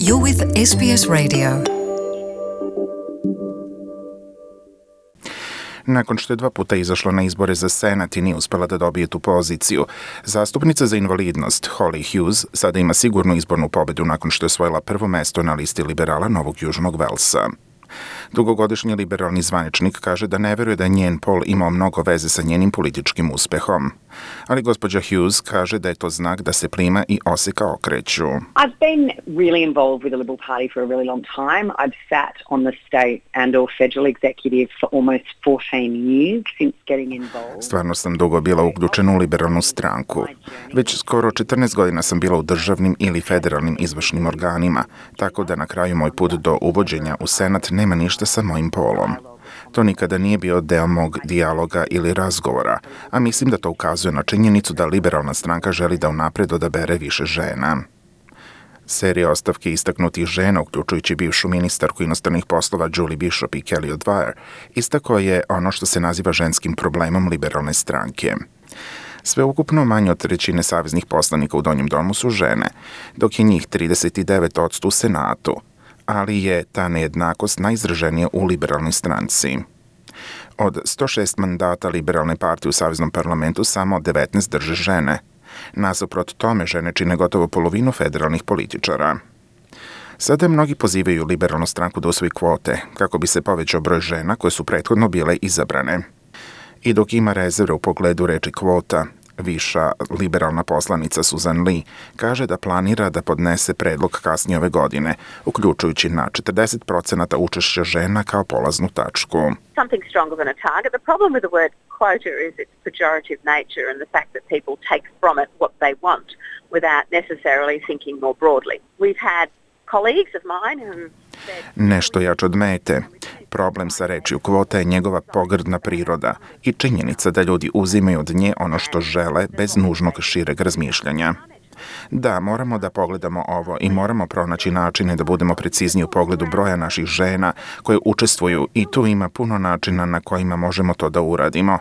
You're with SBS Radio. Nakon što je 2 puta izašla na izbore za Senat i nije uspela da dobije tu poziciju, zastupnica za invalidnost Holly Hughes sada ima sigurnu izbornu pobedu nakon što je osvojila prvo mesto na listi liberala Novog Južnog Velsa. Dugogodišnji liberalni zvaničnik kaže da ne veruje da njen pol imao mnogo veze sa njenim političkim uspehom. Ali gospođa Hughes kaže da je to znak da se plima i oseka okreću. I've been really involved with the Liberal Party for a really long time. I've sat on the state and or federal executive for almost 14 years since getting involved. Stvarno sam dugo bila uključena u liberalnu stranku. Već skoro 14 godina sam bila u državnim ili federalnim izvršnim organima, tako da na kraju moj put do uvođenja u Senat nema ništa sa mojim polom. To nikada nije bio deo mog dijaloga ili razgovora, a mislim da to ukazuje na činjenicu da liberalna stranka želi da unapred odabere više žena. Serija ostavki istaknutih žena, uključujući bivšu ministarku inostranih poslova Julie Bishop i Kelly O'Dwyer, istako je ono što se naziva ženskim problemom liberalne stranke. Sveukupno manje od trećine saveznih poslanika u Donjem domu su žene, dok je njih 39% u Senatu, ali je ta nejednakost najizraženija u liberalnoj stranci. Od 106 mandata liberalne partije u Saveznom parlamentu samo 19 drže žene. Nasuprot tome žene čine gotovo polovinu federalnih političara. Sada mnogi pozivaju liberalnu stranku da usvoji kvote, kako bi se povećao broj žena koje su prethodno bile izabrane. I dok ima rezerve u pogledu reči kvota, viša liberalna poslanica Susan Lee kaže da planira da podnese predlog kasnije ove godine, uključujući na 40% učešća žena kao polaznu tačku. Something stronger than a target. The problem with the word quota is its pejorative nature and the fact that people take from it what they want without necessarily thinking more broadly. We've had colleagues of mine who Nešto jače od mete. Problem sa rečju kvota je njegova pogrdna priroda i činjenica da ljudi uzimaju od nje ono što žele bez nužnog šireg razmišljanja. Da, moramo da pogledamo ovo i moramo pronaći načine da budemo precizniji u pogledu broja naših žena koje učestvuju i tu ima puno načina na kojima možemo to da uradimo.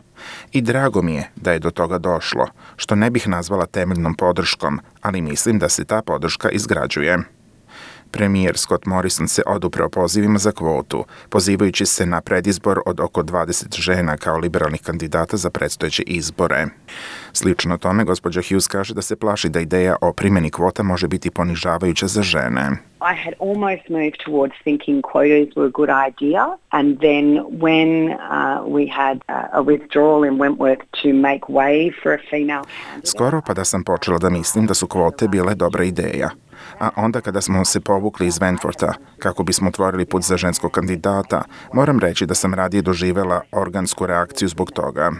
I drago mi je da je do toga došlo, što ne bih nazvala temeljnom podrškom, ali mislim da se ta podrška izgrađuje. Premijer Scott Morrison se odupreo pozivima za kvotu, pozivajući se na predizbor od oko 20 žena kao liberalnih kandidata za predstojeće izbore. Slično tome, gospođa Hughes kaže da se plaši da ideja o primjeni kvota može biti ponižavajuća za žene. I had almost moved towards thinking quotas were a good idea, and then when we had a withdrawal in Wentworth to make way for a female candidate. Skoro pa da sam počela da mislim da su kvote bile dobra ideja. A onda kada smo se povukli iz Wentwortha, kako bismo otvorili put za ženskog kandidata, moram reći da sam radije doživjela organsku reakciju zbog toga.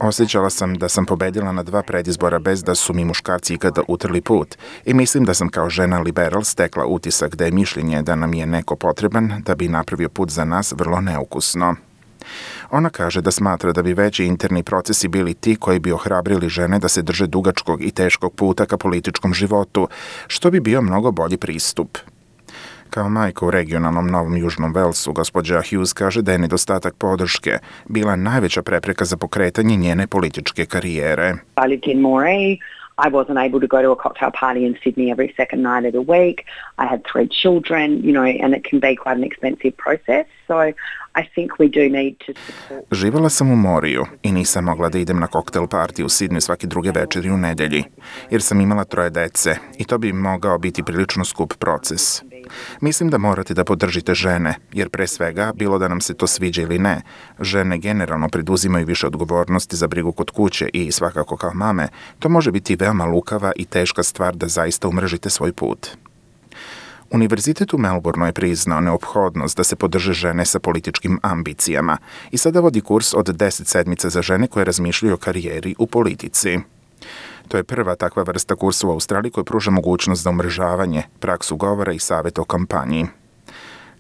Osjećala sam da sam pobedila na 2 predizbora bez da su mi muškarci ikada utrli put i mislim da sam kao žena liberal stekla utisak da je mišljenje da nam je neko potreban da bi napravio put za nas vrlo neukusno. Ona kaže da smatra da bi veći interni procesi bili ti koji bi ohrabrili žene da se drže dugačkog i teškog puta ka političkom životu, što bi bio mnogo bolji pristup. Kao majka u regionalnom Novom Južnom Velsu, gospođa Hughes kaže da je nedostatak podrške bila najveća prepreka za pokretanje njene političke karijere. I lived in Moree. I wasn't able to go to a cocktail party in Sydney every second night of the week. I had 3 children, and it can be quite an expensive process. So I think we do need to support. Živjela sam u Moriju i nisam mogla da idem na koktel party u Sydney svake druge večeri u nedelji, jer sam imala 3 dece i to bi mogao biti prilično skup proces. Mislim da morate da podržite žene, jer pre svega, bilo da nam se to sviđa ili ne, žene generalno preduzimaju više odgovornosti za brigu kod kuće i svakako kao mame, to može biti veoma lukava i teška stvar da zaista umrežite svoj put. Univerzitet u Melbourneu je priznao neophodnost da se podrže žene sa političkim ambicijama i sada vodi kurs od 10 sedmica za žene koje razmišljaju o karijeri u politici. To je prva takva vrsta kursa u Australiji koja pruža mogućnost za umrežavanje, praksu govora i savjet o kampanji.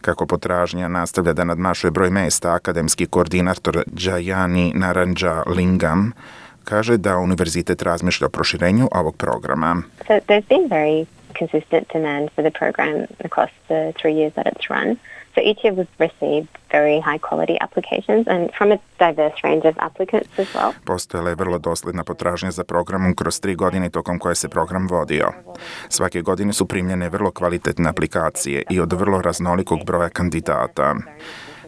Kako potražnja nastavlja da nadmašuje broj mesta, akademski koordinator Jayani Narendra-Lingam kaže da univerzitet razmišlja o proširenju ovog programa. So there's been very consistent demand for the program across the 3 years that it's run. So each year we've received very high quality applications and from a diverse range of applicants as well. Postojala je vrlo dosljedna potražnja za programom kroz 3 godine tokom koje se program vodio. Svake godine su primljene vrlo kvalitetne aplikacije i od vrlo raznolikog broja kandidata.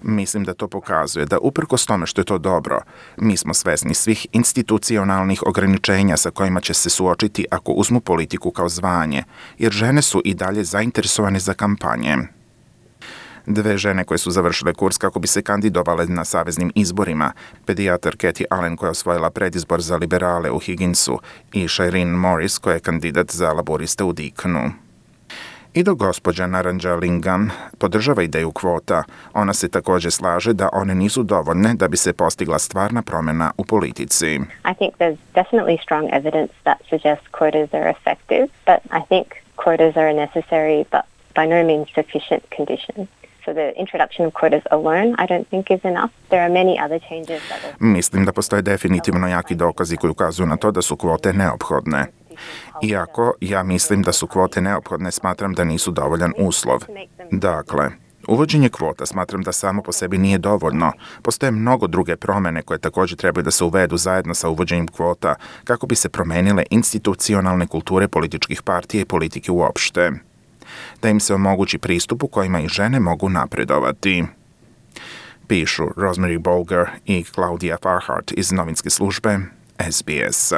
Mislim da to pokazuje da uprkos tome što je to dobro, mi smo svesni svih institucionalnih ograničenja sa kojima će se suočiti ako uzmu politiku kao zvanje, jer žene su i dalje zainteresovane za kampanje. 2 žene koje su završile kurs kako bi se kandidovale na saveznim izborima, pedijatar Kathy Allen koja je osvojila predizbor za liberale u Higginsu i Shireen Morris koja je kandidat za laboriste u Deakonu. I dok gospođa Naranja Lingam podržava ideju kvota, ona se također slaže da one nisu dovoljne da bi se postigla stvarna promjena u politici. I think there's definitely strong evidence that suggests quotas are effective, but I think quotas are a necessary but by no means sufficient condition. So the introduction of quotas alone I don't think is enough. There are many other changes that will... Mislim da postoje definitivno jaki dokazi koji ukazuju na to da su kvote neophodne. Iako ja mislim da su kvote neophodne, smatram da nisu dovoljan uslov. Dakle, uvođenje kvota smatram da samo po sebi nije dovoljno. Postoje mnogo druge promjene koje također trebaju da se uvedu zajedno sa uvođenjem kvota kako bi se promenile institucionalne kulture političkih partija i politike uopšte. Da im se omogući pristup u kojima i žene mogu napredovati. Pišu Rosemary Bolger i Claudia Farhart iz novinske službe SBS.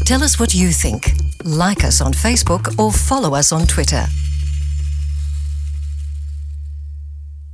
Tell us what you think. Like us on Facebook or follow us on Twitter.